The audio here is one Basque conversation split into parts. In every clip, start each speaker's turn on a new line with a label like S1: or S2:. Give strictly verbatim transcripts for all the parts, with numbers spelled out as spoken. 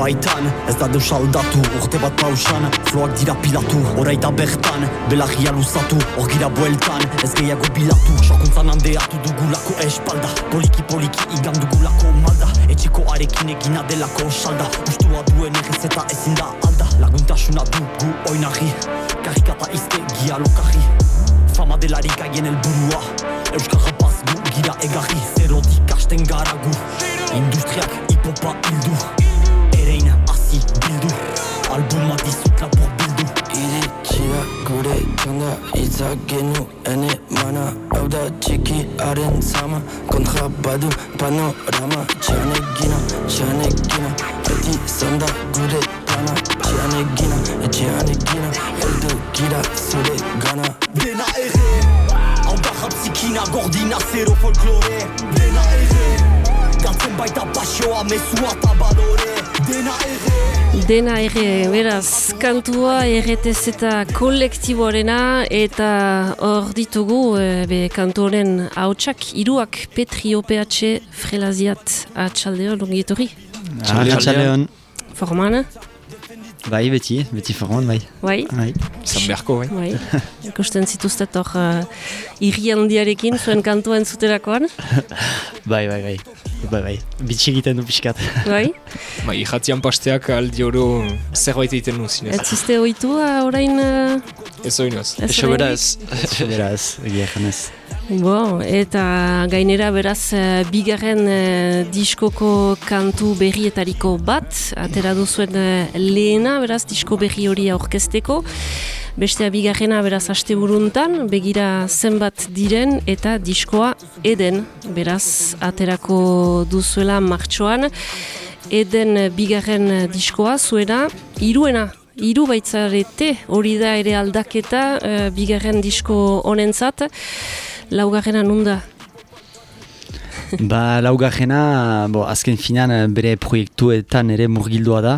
S1: baitan, ez da deus aldatu, urte bat pausan, floak dira pilatu, oraita bertan, belagia luzatu, hor gira bueltan, ez gehiago bilatu, sokuntzan handeatu dugulako espalda, poliki poliki igan dugulako malda, etxeko arekin egina delako salda, ustua duen errez eta ezin da alda, laguntasuna dugu oinarri, karikata iztegia lokarri, fama delarik aien helburua, euskal rapaz gu gira egarri, zerotik hasten garagu, industriak hipopa hildu, erein hasi bildu, albuma dizut lapur bildu.
S2: Iritxira gure txanda itzak genu ene mana, hau da txiki haren zama, kontra badu panorama, txanegina, txanegina, beti zanda gure plana, txanegina, etxeanegina, heldu gira zure gana.
S1: Dena ere, hau da japzikina gordina zero folklore, dena ere, galtzen baita pasioa mezua eta balore, dena ere.
S3: Dena ere, beraz, kantua erretez eta kolektiboarena eta hor ditugu e, be, kantu honen hautsak, hiruak Petri O P H Frelaziat atxaldeon, ongietorri?
S4: Atxaldeon.
S3: Formana?
S4: Bai, beti, beti forman, bai.
S3: Bai?
S4: Bai.
S5: Zan beharko, bai.
S3: Bai. Ikusten zituztet hor uh, irri handiarekin, zuen kantua entzuterakoan?
S4: Bai, bai, bai. Bai, bai. Bitxi egiten du pixkat.
S3: Bai?
S5: Bai, irratian pasteak aldi oro zerbait egiten nu zinez.
S3: Ez ziste oitu uh, orain... Uh,
S5: Ez oinoz.
S4: Eso beraz. Eso beraz, egia janez.
S3: Bo, eta gainera beraz uh, bigarren uh, diskoko kantu berrietariko bat, atera duzuen uh, lehena, beraz, disko berri hori aurkezteko. Bestea bigarrena beraz asteburuntan, begira zenbat diren eta diskoa Eden, beraz aterako duzuela martxoan. Eden bigarren diskoa zuena, hiruena, hiru baitzarete, hori da ere aldaketa uh, bigarren disko honentzat. Laugarrena nunda?
S4: Ba, laugarrena, bo, azken finan bere proiektuetan ere murgildua da.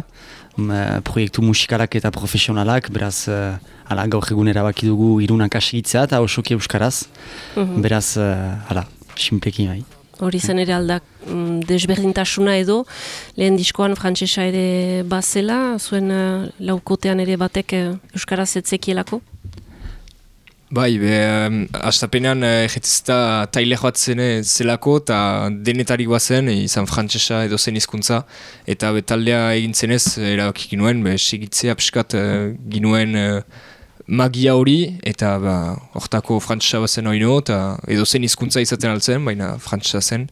S4: Proiektu musikalak eta profesionalak, beraz, uh, ala, gaur egun erabaki dugu irunak asigitzea eta osoki euskaraz. Mm-hmm. Beraz, uh, ala, sinpleki bai.
S3: Hori zen ere aldak mm, desberdintasuna edo, lehen diskoan frantsesa ere bazela, zuen uh, laukotean ere batek uh, euskaraz etzekielako?
S5: Bai, be, um, astapenean erretizta taile joatzen zelako eta denetarik bazen, izan frantsesa edo zen hizkuntza eta betaldea egintzenez erabakik ginuen, be, segitzea pixkat uh, ginuen uh, magia hori eta ba, hortako frantsesa bazen oino eta edo zen hizkuntza izaten altzen, baina frantsesa zen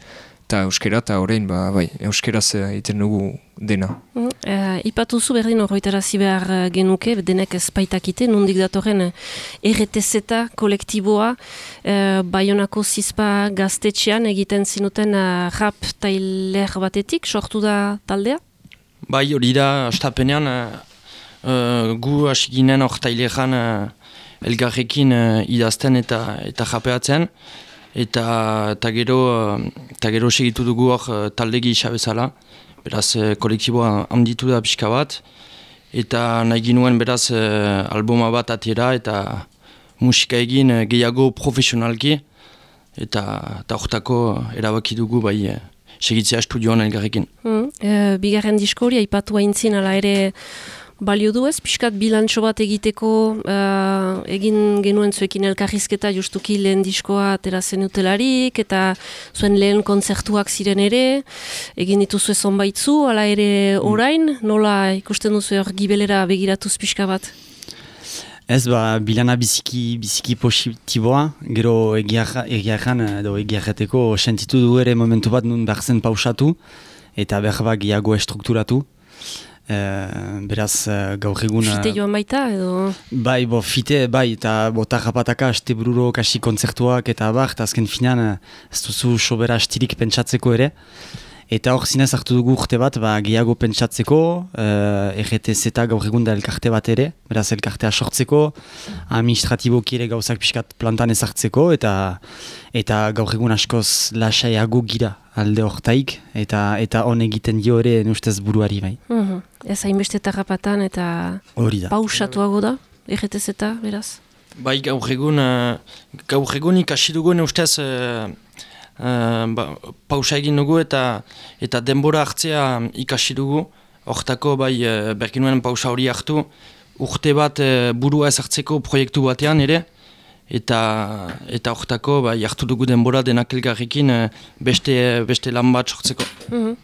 S5: eta euskera eta orain, ba, bai, euskeraz egiten dugu dena.
S3: Mm, uh, ipatuzu berdin horretarazi behar genuke, denek ezpaitakite, nondik datorren R T Z kolektiboa, uh, Baionako Zizpa gaztetxean egiten zinuten uh, rap tailer batetik, sortu da taldea?
S2: Bai, hori da, astapenean, uh, uh, gu hasi ginen hor taileran uh, elgarrekin uh, idazten eta, eta japeatzen, eta eta gero eta gero segitu dugu hor talde gisa bezala, beraz kolektiboa handitu da pixka bat eta nahi ginuen beraz albuma bat atera eta musika egin gehiago profesionalki eta eta hortako erabaki dugu bai segitzea estudioan elgarrekin.
S3: Mm, e, bigarren disko hori aipatu aintzin ala ere balio du ez, pixkat bilantxo bat egiteko uh, egin genuen zuekin elkarrizketa justuki lehen diskoa atera zenutelarik eta zuen lehen kontzertuak ziren ere, egin dituzue zonbaitzu, ala ere orain, nola ikusten duzu hor gibelera begiratuz pixka bat?
S4: Ez, ba, bilana biziki, biziki positiboa, gero egiarran edo egiarreteko sentitu du ere momentu bat nun behar zen pausatu eta behar bat gehiago estrukturatu. Uh, beraz uh, gaur egun...
S3: Fite joan baita edo...
S4: Bai, bo, fite, bai, eta bota rapataka, aste bururo, kasi kontzertuak eta bar, eta azken finean uh, ez duzu sobera astirik pentsatzeko ere. Eta hor zinez hartu dugu urte bat, ba, gehiago pentsatzeko, uh, R T Z gaur egun da elkarte bat ere, beraz elkartea sortzeko, administratiboki ere gauzak pixkat plantan ezartzeko, eta eta gaur egun askoz lasaiago gira alde hortaik, eta eta hon egiten dio ere ustez buruari bai.
S3: Mm-hmm. Ez hainbeste tarrapatan eta pausatuago da, R T Z beraz?
S2: Bai, gaur egun, uh, gaur egun ikasi dugu ustez... Uh, Uh, ba, pausa egin dugu eta eta denbora hartzea ikasi dugu hortako bai berkinuen pausa hori hartu, urte bat burua ezartzeko proiektu batean ere, eta eta hortako bai hartu dugu denbora denak elgarrekin beste, beste lan bat sortzeko.
S3: Mm-hmm.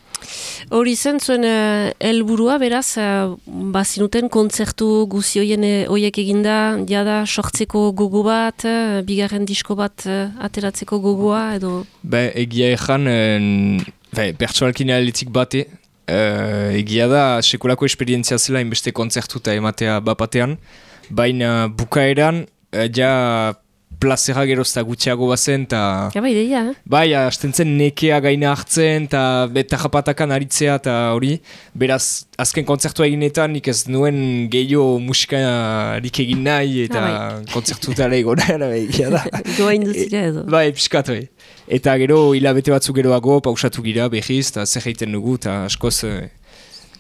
S3: Hori zen zuen helburua uh, beraz, uh, bazinuten kontzertu guzioien hoiek eginda, jada sortzeko gogo bat, uh, bigarren disko bat uh, ateratzeko gogoa, edo?
S5: Ba, egia ezan, uh, pertsonalkin aletik bate, uh, egia da sekulako esperientzia zela inbeste kontzertu eta ematea bapatean, baina bukaeran, uh, ja plazera gerozta gutxiago bazen, eta...
S3: Ja, bai, deia, eh?
S5: Bai, hasten zen nekea gaina hartzen, eta eta japatakan aritzea, eta hori, beraz, azken kontzertua eginetan, nik ez nuen gehiago musikarik egin nahi, eta ah, bai. Kontzertutara egona, egia da.
S3: Goa induzira edo.
S5: Bai, piskat, bai. Eta gero, hilabete batzuk geroago, pausatu gira, behiz, eta zer egiten dugu, eta askoz...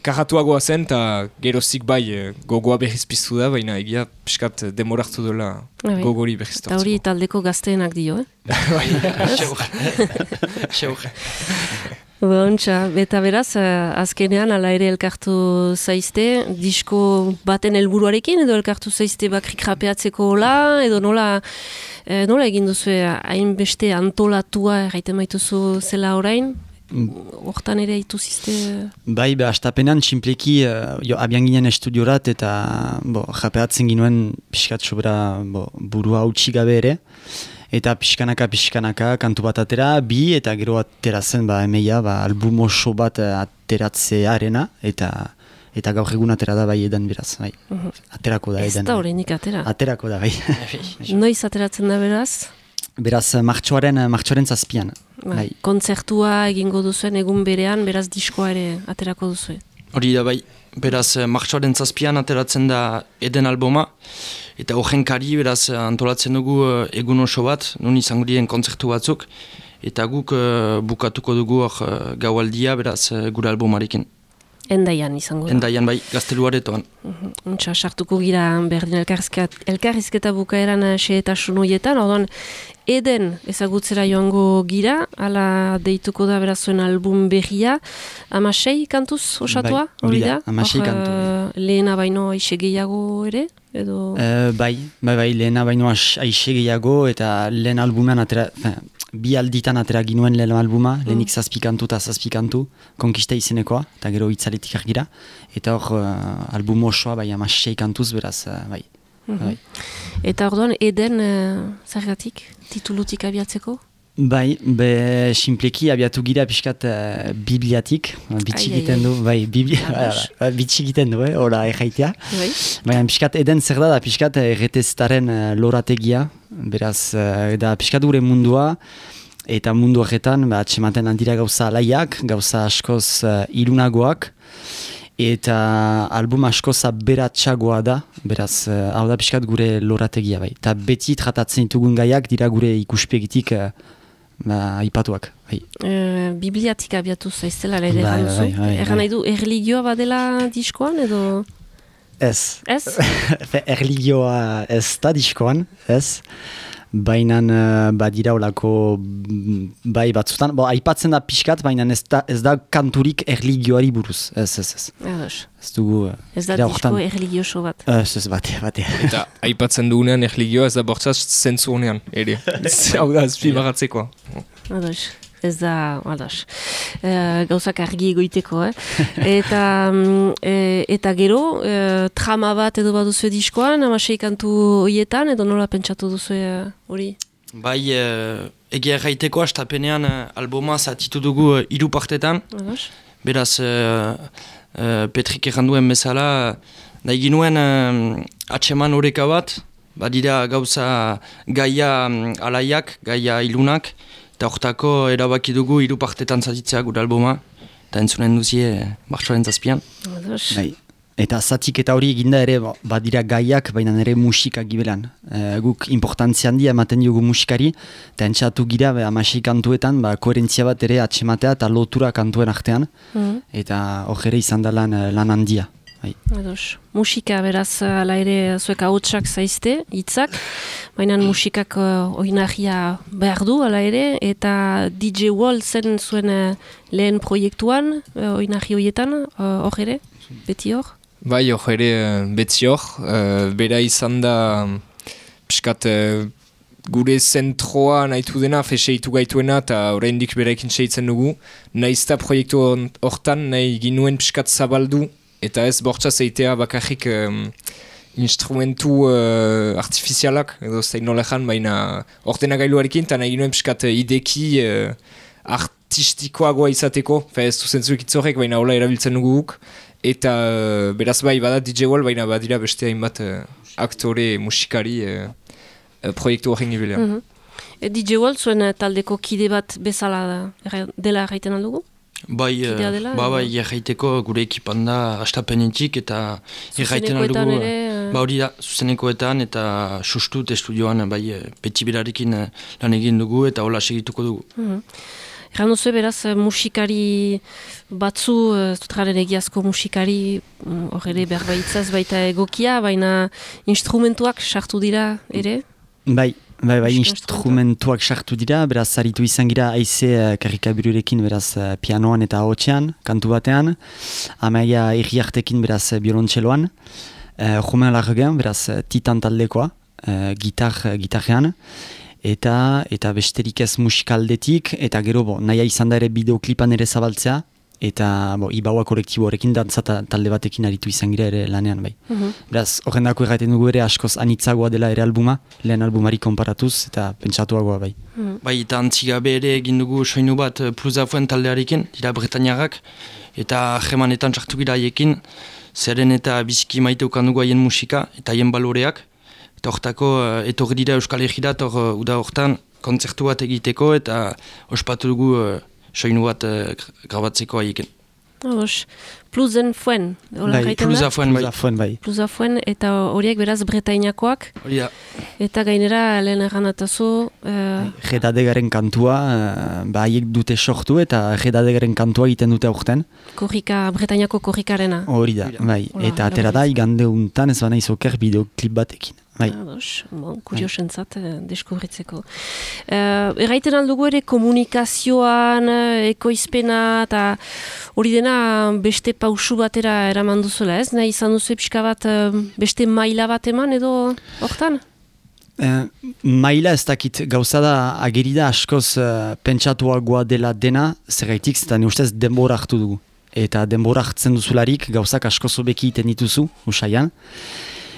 S5: Karatuagoa zen, eta geroztik bai gogoa behiz piztu da, baina egia piskat demorartu dola gogori behiz tortzeko.
S3: Eta hori taldeko gazteenak dio, eh?
S5: Bai,
S2: xeur.
S3: Bontxa, eta beraz, azkenean ala ere elkartu zaizte, disko baten helburuarekin, edo elkartu zaizte bakrik rapeatzeko hola, edo nola, eh, nola egin duzu hainbeste antolatua erraiten baituzu zela orain? Hortan ere haitu zizte...
S4: Bai, be, astapenan txinpleki uh, jo, abian ginen estudiorat eta bo, japeatzen ginuen pixkat sobera bo, burua utxi gabe ere. Eta pixkanaka, pixkanaka, kantu bat atera, bi eta gero ateratzen ba, emeia, ba, album oso bat ateratzearena eta eta gaur egun atera da bai edan beraz. Bai. Uh-huh. Aterako da edan.
S3: Ez da horrenik atera.
S4: Aterako da bai.
S3: Noiz ateratzen da beraz?
S4: Beraz, martxoaren, martxoaren zazpian.
S3: Bai. Kontzertua egingo duzuen egun berean, beraz diskoa ere aterako duzue.
S2: Hori da bai, beraz martxoaren zazpian ateratzen da eden albuma, eta horren kari beraz antolatzen dugu egun oso bat, nun izango diren kontzertu batzuk, eta guk uh, bukatuko dugu hor uh, gaualdia beraz uh, gure albumarekin.
S3: Endaian izango da.
S2: Endaian bai, gazteluaretoan.
S3: Untxa, uh-huh. Sartuko gira berdin elkarrizketa bukaeran xehetasun horietan, orduan eden ezagutzera joango gira, ala deituko da berazuen album berria, amasei kantuz osatua, hori
S4: bai,
S3: da?
S4: Amasei kantu.
S3: Uh, lehena baino aixe gehiago ere? Edo...
S4: Uh, bai, bai, bai, lehena baino aixe gehiago, eta lehen albumean atera... Fin, bi alditan atera ginuen lehen albuma, mm. lehenik zazpi kantu eta zazpi kantu, konkista izenekoa, eta gero itzaletik argira, eta hor uh, album osoa bai amasei kantuz beraz, uh, bai. Mm-hmm. bai.
S3: Eta orduan, eden uh, zergatik, titulutik abiatzeko?
S4: Bai, be simpleki abiatu gira pixkat uh, bibliatik, bitxikiten du, bai, biblia, bitxikiten du, eh, ora erraitea. Bai. Baina pixkat eden zer da, da pixkat erreteztaren uh, lorategia, beraz, uh, da pixkat gure mundua, eta mundu horretan, ba, atxematen handira gauza alaiak, gauza askoz uh, ilunagoak, eta album askoz aberatsagoa da, beraz, uh, hau da pixkat gure lorategia, bai. Eta beti tratatzen ditugun gaiak dira gure ikuspegitik uh, Ba, ipatuak, bai.
S3: E, bibliatik abiatu zaiztela, ere
S4: bai, bai, bai, bai.
S3: Erran nahi du, erligioa badela diskoan, edo?
S4: Ez.
S3: Ez?
S4: Erligioa ez da diskoan, ez. Baina uh, badira olako bai batzutan, bo, aipatzen da pixkat, baina ez da, ez da kanturik erligioari buruz, ez, ez, ez.
S3: Edos.
S4: Ez dugu...
S3: Ez da disko erligioso bat.
S4: Ez, ez, bate, bate.
S5: Eta aipatzen dugunean erligioa ez da bortzaz zentzu honean, ere. Hau da, ezpi bagatzeko.
S3: Edos. Ez da, ados, e, gauzak argi egoiteko, eh? Eta, e, eta gero, e, trama bat edo baduzu diskoan, amasei kantu horietan, edo nola pentsatu duzu hori?
S2: Bai, e, egia erraiteko astapenean albuma zatitu dugu hiru partetan.
S3: Ados.
S2: Beraz, e, e, Petrik erranduen bezala, nahi ginuen e, atseman horeka bat, badira gauza gaia alaiak, gaia ilunak, eta hortako erabaki dugu hiru partetan zatitzea gure albuma, eta entzunen duzie martxoaren zazpian.
S4: Bai. Eta zatik eta hori eginda ere badira gaiak, baina ere musika gibelan. E, guk importantzia handia ematen diogu musikari, eta entxatu gira amasei kantuetan, ba, koherentzia bat ere atxematea eta lotura kantuen artean, mm. eta hor ere izan da lan, lan handia. Bai.
S3: Ados. Musika beraz ala ere zuek ahotsak zaizte, hitzak, baina musikak uh, oinarria behar du ala ere, eta D J Wall zen zuen uh, lehen proiektuan, uh, oinarri horietan, hor uh, ere, beti hor?
S5: Bai, hor ere beti hor, uh, bera izan da piskat uh, gure zentroa nahitu dena, feseitu gaituena, eta oraindik beraikin seitzen dugu, nahizta proiektu hortan nahi ginuen piskat zabaldu, eta ez bortza zeitea bakarrik um, instrumentu uh, artifizialak, edo zein nolejan, baina ordenagailuarekin, eta nahi ginoen piskat ideki uh, artistikoagoa izateko, fe ez duzentzuk itzorek, baina hola erabiltzen dugu guk, eta uh, beraz bai, bada D J Wall, baina badira beste hainbat uh, aktore, musikari uh, uh, proiektu horren gibilean.
S3: Mm-hmm. E, D J Wall zuen taldeko kide bat bezala da, dela erraiten aldugu?
S2: Bai,
S3: dela,
S2: ba, bai, erraiteko gure ekipan da astapenetik eta erraiten aldugu. Ba hori da, zuzenekoetan eta sustut estudioan bai, beti berarekin lan egin dugu eta hola segituko dugu.
S3: Mm-hmm. Erran duzu beraz musikari batzu, zutraren egiazko musikari, hor ere berbaitzaz baita egokia, baina instrumentuak sartu dira ere?
S4: Bai. Bai, bai, instrumentuak sartu dira, beraz, zaritu izan gira aize uh, karikabirurekin, beraz, uh, pianoan eta ahotsean, kantu batean, amaia irriartekin, beraz, biolontxeloan, uh, Romain Largen, beraz, titan taldekoa, uh, gitar, uh, gitarrean, eta, eta besterik ez musikaldetik, eta gero, bo, naia izan da ere bideoklipan ere zabaltzea, eta bo, Ibaua kolektibo horrekin dantza talde batekin aritu izan gira ere lanean bai. Mm-hmm. Beraz, horren dako erraiten dugu ere askoz anitzagoa dela ere albuma, lehen albumari konparatuz eta pentsatuagoa bai.
S3: Mm-hmm.
S2: Bai, eta antzigabe ere egin dugu soinu bat Pluzafuen taldearekin, dira Bretañarrak, eta jemanetan sartu gira haiekin, zeren eta biziki maite ukan dugu haien musika eta haien baloreak, eta hortako etorri dira Euskal Herriera, eta uda hortan kontzertu bat egiteko eta ospatu dugu soinu bat uh, grabatzeko haiekin.
S3: Oros, Pluzen Fuen, hola
S4: bai,
S3: gaiten
S2: da? Fuen, bai.
S4: bai.
S3: Pluza Fuen, eta horiek beraz Bretainakoak.
S2: Hori da.
S3: Eta gainera, lehen erranatazu... Uh...
S4: Redadegaren kantua, uh, ba haiek dute sortu eta Redadegaren kantua egiten dute aurten.
S3: Korrika, Bretainako korrikarena.
S4: Hori da, bai. Hola, eta atera da, igande untan ez bana izoker bideoklip batekin. Bai.
S3: Ados, bon, kuriosentzat eh, deskubritzeko. Uh, erraiten aldugu ere komunikazioan, ekoizpena, eta hori dena beste pausu batera eraman duzuela ez? Nahi izan duzu pixka bat beste maila bat eman edo hortan?
S4: Uh, maila ez dakit gauza da ageri da askoz uh, pentsatuagoa dela dena, zergaitik zeta ne ustez denbora hartu dugu. Eta denbora hartzen duzularik gauzak askoz obeki iten dituzu, usaian.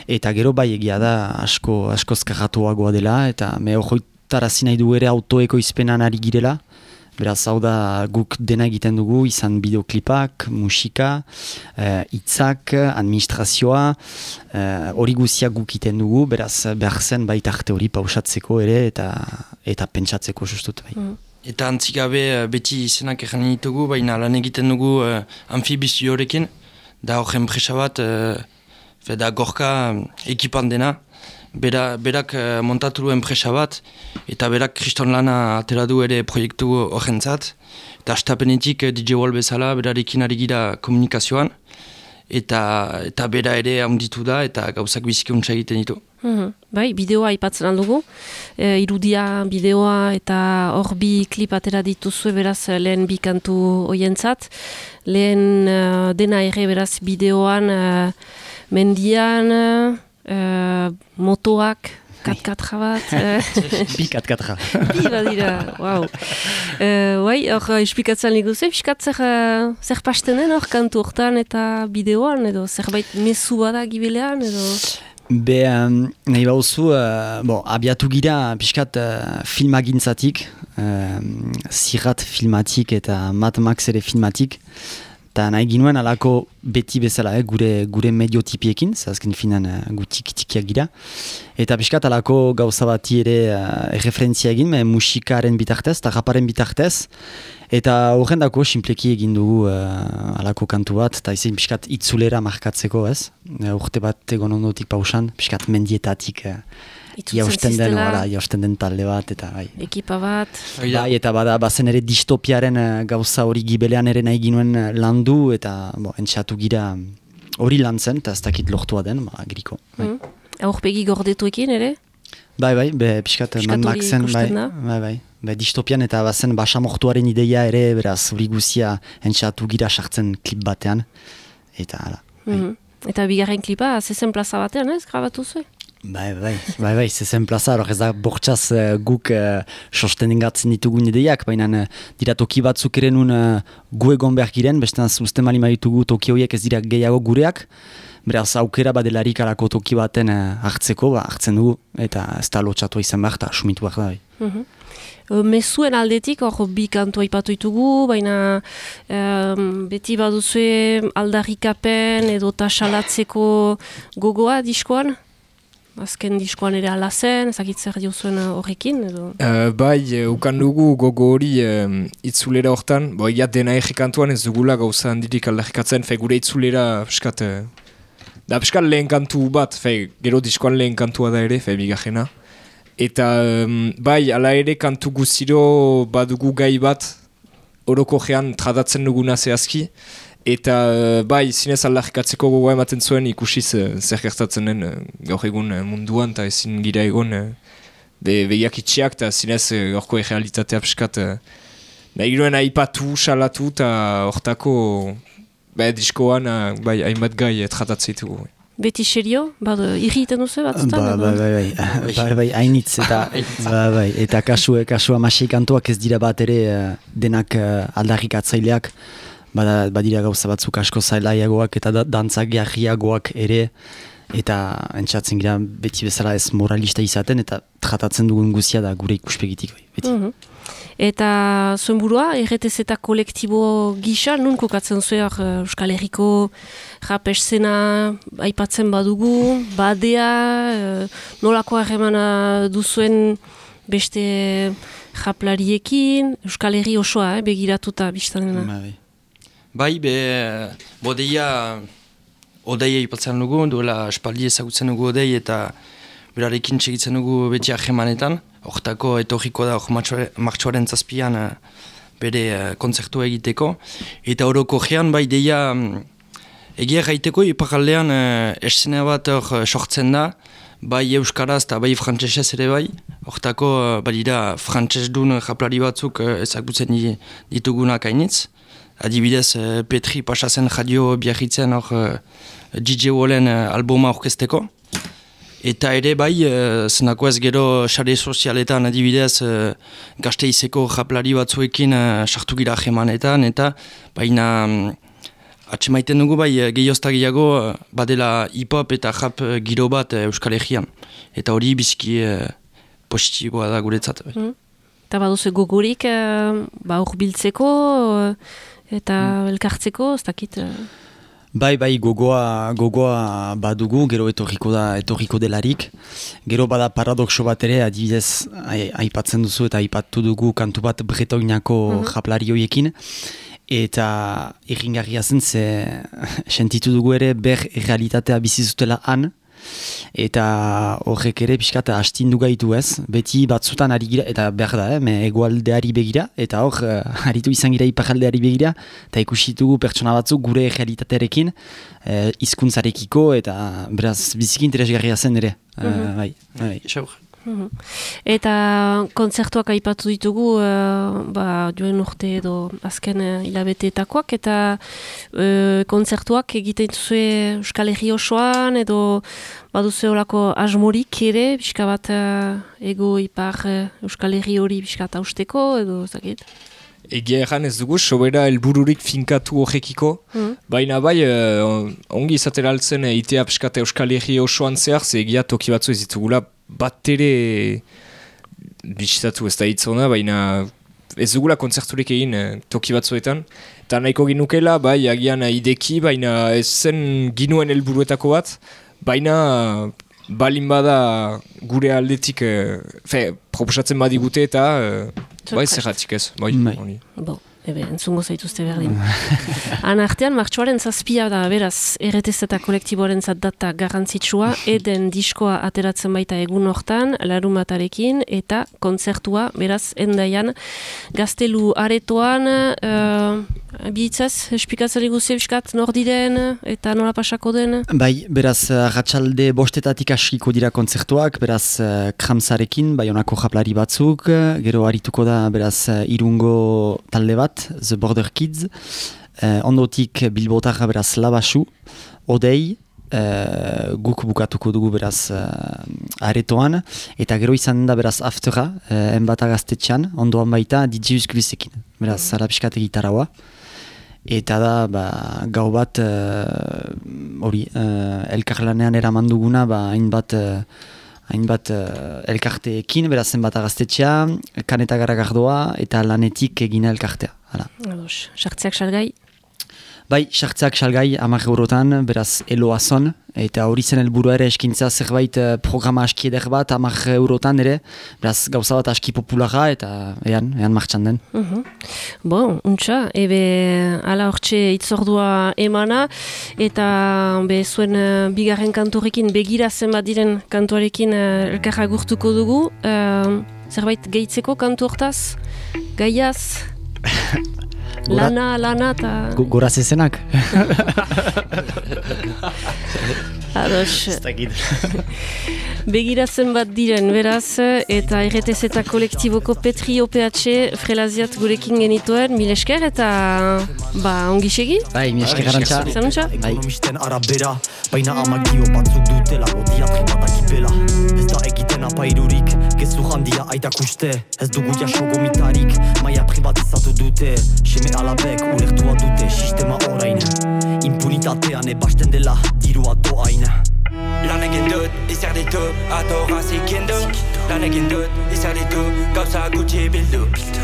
S4: Eta gero bai egia da asko askoz karratuagoa dela, eta me hojoitarazi nahi du ere autoeko izpenan ari girela. Beraz, hau da guk dena egiten dugu, izan bideoklipak, musika, hitzak, uh, administrazioa, hori uh, guziak guk egiten dugu, beraz behar zen baita arte hori pausatzeko ere eta eta pentsatzeko justut bai. Mm.
S2: Eta antzikabe beti izenak egin ditugu, baina lan egiten dugu uh, amfibizioarekin, da horren presa bat, uh, da gorka ekipan dena, Bera, berak uh, montatu duen presa bat, eta berak kriston lana atera du ere proiektu horrentzat, eta astapenetik D J Wall bezala berarekin ari gira komunikazioan, eta, eta bera ere handitu da, eta gauzak bizikuntza egiten ditu.
S3: Mm-hmm. Bai, bideoa aipatzen aldugu, e, irudia bideoa eta hor bi klip atera dituzue beraz lehen bi kantu hoientzat, lehen uh, dena ere beraz bideoan uh, mendian, uh, motoak, kat-katra bat.
S4: Bi kat-katra.
S3: Bi badira, wow. Uh, bai, hor esplikatzen liguze, piskat zer, uh, zer pastenen hor kantu hortan eta bideoan, edo zerbait mezu bada gibilean, edo...
S4: Be, um, nahi bauzu, uh, bo, abiatu gira piskat uh, filmagintzatik, uh, zirrat filmatik eta Mad Max ere filmatik, eta nahi ginuen alako beti bezala, eh, gure, gure mediotipiekin, zazken finan uh, gu tiki-tikiak gira, eta piskat alako gauza bati ere uh, referentzia egin, me, musikaren bitartez, eta raparen bitartez, eta horren dako simpleki egin dugu uh, alako kantu bat, eta izan piskat itzulera markatzeko ez, uh, urte bat egon ondotik pausan, piskat mendietatik uh, jausten den, wala, jausten den talde bat, eta bai.
S3: Ekipa bat.
S4: Bai, eta bada, bazen ere distopiaren uh, gauza hori gibelean ere nahi ginuen uh, landu, eta bo, entxatu gira hori lan zen, eta ez dakit lortua den, ba, griko. Bai.
S3: Mm. Aurpegi gordetuekin ere?
S4: Bai, bai, be, piskat Mad Maxen, bai, bai, bai, bai, distopian eta bazen basamortuaren ideia ere, beraz, hori guzia entxatu gira sartzen klip batean, eta hala. Bai.
S3: Mm. Eta bigarren klipa, zezen plaza batean, ez, grabatu zuen?
S4: Bai, bai, bai, bai, zezen plaza, hor ez da bortxaz uh, guk uh, sostenengatzen ditugun ideiak, baina uh, dira toki batzuk ere nun uh, gu egon behar giren, bestean uste mali maitugu toki horiek ez dira gehiago gureak, beraz aukera badelarik alako toki baten uh, hartzeko, ba, hartzen dugu, eta ez da lotxatu izan behar, eta sumitu behar da. Bai.
S3: Mm-hmm. Mezuen aldetik, hor bi kantu aipatu ditugu, baina um, beti baduzue aldarrikapen edo tasalatzeko gogoa diskoan? Azken diskoan ere ala zen, ezakitzer diozuen horrekin edo?
S5: Uh, bai, uh, ukan dugu gogo hori uh, itzulera hortan, bo egia dena egikantuan ez dugula gauza handirik aldarrikatzen, fe gure itzulera piskat, uh, da piskat lehen kantu bat, fe gero diskoan lehen kantua da ere, fe bigarrena. Eta um, bai, ala ere kantu guztiro badugu gai bat orokojean tratatzen duguna zehazki. Eta uh, bai, zinez aldarrikatzeko gogoa ematen zuen ikusiz uh, zer gertatzen den uh, gaur egun uh, munduan eta ezin gira egon uh, be, begiak itxiak eta zinez uh, gaurko errealitatea piskat uh, nahi giroen aipatu, salatu eta hortako bai, diskoan uh, bai, hainbat gai uh, tratatzen ditugu.
S3: Beti serio? Bad, irriten duzu batzutan?
S4: Ba, ba, bai, bai, bai, bai, hainitz, eta, ba, bai, eta kasu, kasu amasei kantuak ez dira bat ere uh, denak uh, aldarrikatzaileak, bada, badira gauza batzuk asko zailaiagoak eta da, dantzak jarriagoak ere, eta entzatzen gira beti bezala ez moralista izaten, eta tratatzen dugun guzia da gure ikuspegitik, beti.
S3: Mm-hmm. Eta zuen burua, R T Z eta kolektibo gisa, nun kokatzen zuen Euskal Herriko rap eszena aipatzen badugu, badea, nolako harremana duzuen beste raplariekin, Euskal Herri osoa, eh, begiratuta biztanena.
S4: Bai,
S2: bai, be, bodeia, odeia aipatzen dugu, duela espaldi ezagutzen dugu odei eta berarekin txegitzen dugu beti harremanetan. Hortako etorriko da hor martxoaren zazpian uh, bere uh, kontzertua egiteko. Eta horoko gean bai deia um, egia gaiteko iparaldean uh, eszena bat hor uh, sortzen da, bai euskaraz eta bai frantsesez ere bai. Hortako uh, badira frantsesdun japlari batzuk uh, ezagutzen ditugunak hainitz. Adibidez uh, Petri pasazen radio biarritzen hor uh, D J Wallen uh, albuma orkesteko. Eta ere bai, uh, zenako ez gero sare sozialetan adibidez uh, Gasteizeko japlari batzuekin uh, sartu gira jemanetan, eta baina um, atsemaiten dugu bai gehiozta gehiago uh, badela hip-hop eta rap uh, giro bat uh, Euskal Herrian. Eta hori biziki uh, positiboa da guretzat. Bai.
S3: Mm. Eta baduzu gogorik uh, ba urbiltzeko uh, eta mm. elkartzeko, ez dakit... Uh...
S4: Bai, bai, gogoa, gogoa badugu, gero etorriko da, etorriko delarik. Gero bada paradoxo bat ere, adibidez, aipatzen duzu eta aipatu dugu kantu bat bretoinako mm-hmm. japlari horiekin. Eta irringarria zen, ze sentitu dugu ere ber realitatea bizizutela han. Eta horrek ere pixkat astindu gaitu ez, beti batzutan ari gira, eta behar da, eh, me egoaldeari begira, eta hor, uh, aritu izan gira iparaldeari begira, eta ikusitugu pertsona batzuk gure realitatearekin, uh, hizkuntzarekiko eta beraz biziki interesgarria zen ere.
S3: Mm-hmm.
S4: uh, bai, bai.
S3: Mm-hmm. Eta kontzertuak aipatu ditugu uh, ba, joen urte edo azken uh, hilabeteetakoak, eta uh, kontzertuak egiten zuzue Euskal Herri osoan edo baduzu horako asmorik ere, pixka bat uh, ego ipar uh, Euskal Herri hori pixka bat hausteko edo zakit?
S5: Egia erran ez dugu, sobera helbururik finkatu horrekiko, mm. baina bai uh, ongi izatera altzen uh, itea pixkat Euskal Herri osoan zehar, ze egia toki batzu ez ditugula bat ere bisitatu ez da hitzona, baina ez dugula kontzerturik egin eh, toki batzuetan. Eta nahiko ginukela, bai, agian ideki, baina ez zen ginuen helburuetako bat, baina balin bada gure aldetik, eh, fe, proposatzen badigute eta eh, bai zerratik ez. Bai,
S3: bon. ebe, entzungo zaituzte berdin. Han artean, martxoaren zazpia da, beraz, erretez eta kolektiboaren data garrantzitsua, eden diskoa ateratzen baita egun hortan, larumatarekin, eta kontzertua, beraz, endaian, gaztelu aretoan, uh, bihitzaz, espikatzari guzti ebiskat, nor diren, eta nola pasako den?
S4: Bai, beraz, ratxalde bostetatik askiko dira kontzertuak, beraz, kramzarekin, bai honako japlari batzuk, gero harituko da, beraz, irungo talde bat, The Border Kids, eh, ondotik Bilbotarra beraz Labasu, Odei, eh, guk bukatuko dugu beraz eh, aretoan, eta gero izan da beraz aftera, eh, enbata gaztetxean, ondoan baita D J Uzkrizekin, beraz, zara pixkate gitaraua. Eta da, ba, gau bat, hori, uh, uh, elkarlanean eraman duguna, ba, hainbat, uh, hainbat uh, elkarteekin, beraz zenbat agaztetxea, kaneta garagardoa, eta lanetik egina elkartea.
S3: Ados, sartzeak salgai?
S4: Bai, sartzeak salgai, hamar eurotan, beraz eloazon, eta hori zen helburua ere eskintzea zerbait uh, programa aski eder bat, hamar eurotan ere, beraz gauza bat aski populara, eta ean, ean martxan den.
S3: Uh-huh. Bon, untxa, ebe ala hortxe itzordua emana, eta be, zuen uh, bigarren kanturekin begira zenbat diren kantuarekin uh, elkarra gurtuko dugu, uh, zerbait gehitzeko kantu hortaz, gaiaz? Lana, lana, eta...
S4: Goraz ezenak.
S3: Ados. Begiratzen bat diren, beraz, eta erretez eta kolektiboko Petri O P H frelaziat gurekin genituen, mil esker eta ba, ongi segi?
S4: Bai, mil esker garantza.
S3: Zanuntza?
S1: Ekonomisten arabera, baina amagio batzuk dutela, odiatri batakipela. Ez da egiten apairurik, gezu handia aitak uste, ez dugu jaso gomitarik, maia privatizatu dute, seme alabek ulertua dute, sistema orain. Impunitatean ebasten dela, dirua doain.
S6: Lan egin dut, izar ditu, atorra zikindu. Lan egin dut, izar ditu, gauza gutxi bildu.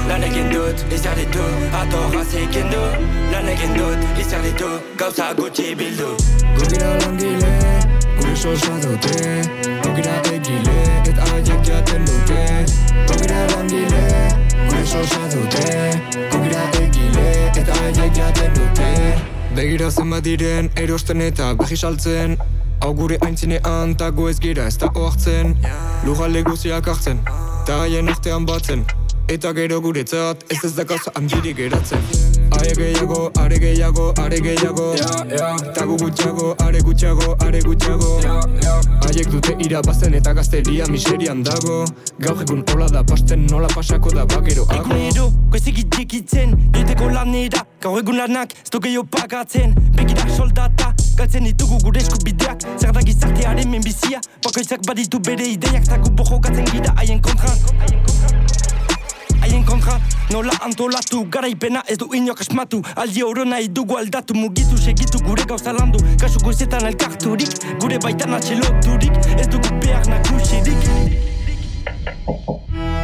S6: Lan egin dut, izar ditu, atorra zikindu. Lan egin dut, izar ditu, gauza gutxi bildu.
S7: Gogira langile, gure sosa dute. Gogira egile, eta aiek jaten dute. Gogira langile, gure sosa dute. Gogira egile, eta aiek jaten dute. Begira zenbat diren, erosten eta behi saltzen. Hau gure aintzinean tago ez gira ez da oartzen. Lujale guziak hartzen, ta haien artean batzen. Eta gero guretzat ez ez da gauza handirik geratzen. Aie gehiago, are gehiago, are gehiago. Tago gutxago, are gutxago, are gutxago. Haiek dute irabazten eta gazteria miserian dago. Gaur egun hola da pasten nola pasako da bageroago.
S6: Egunero, goizegit jekitzen, joiteko lanera. Gaur egun lanak, ez do gehiago pagatzen. Begirak soldata, galtzen ditugu gure eskubideak. Zer da gizartearen menbizia, bakoitzak baditu bere ideiak. Tagu bojo gatzen gira haien kontra. Haien kontra, nola antolatu, garaipena ez du inok asmatu. Aldi oro nahi dugu aldatu, mugitu segitu gure gauza landu. Kasu goizetan elkarturik, gure baitan atxeloturik, ez dugu behar nagusirik.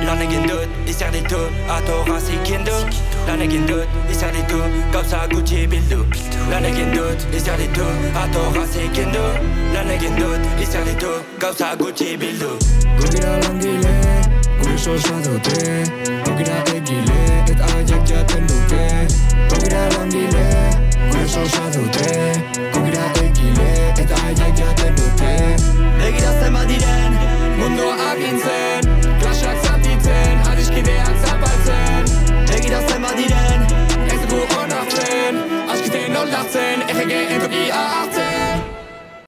S6: Lan egin dut, izar ditu, atorra zikindu. Lan egin dut, izar ditu, gauza gutxi bildu. Lan egin dut, izar ditu, atorra zikindu. Lan egin dut, izar ditu, gauza gutxi bildu.
S7: Gogira langile, gure sosa dute. Gogira egile, eta aiek jaten dute. Gogira langile, gure sosa dute. Gogira egile, eta aiek jaten dute.
S6: Begira zenbat diren,
S7: mundua agintzen, klaseak zatitzen, adiskideak zapaltzen.
S6: Begira zenbat diren,
S7: ez dugu onartzen, askiten oldartzen, errege entokia hartzen.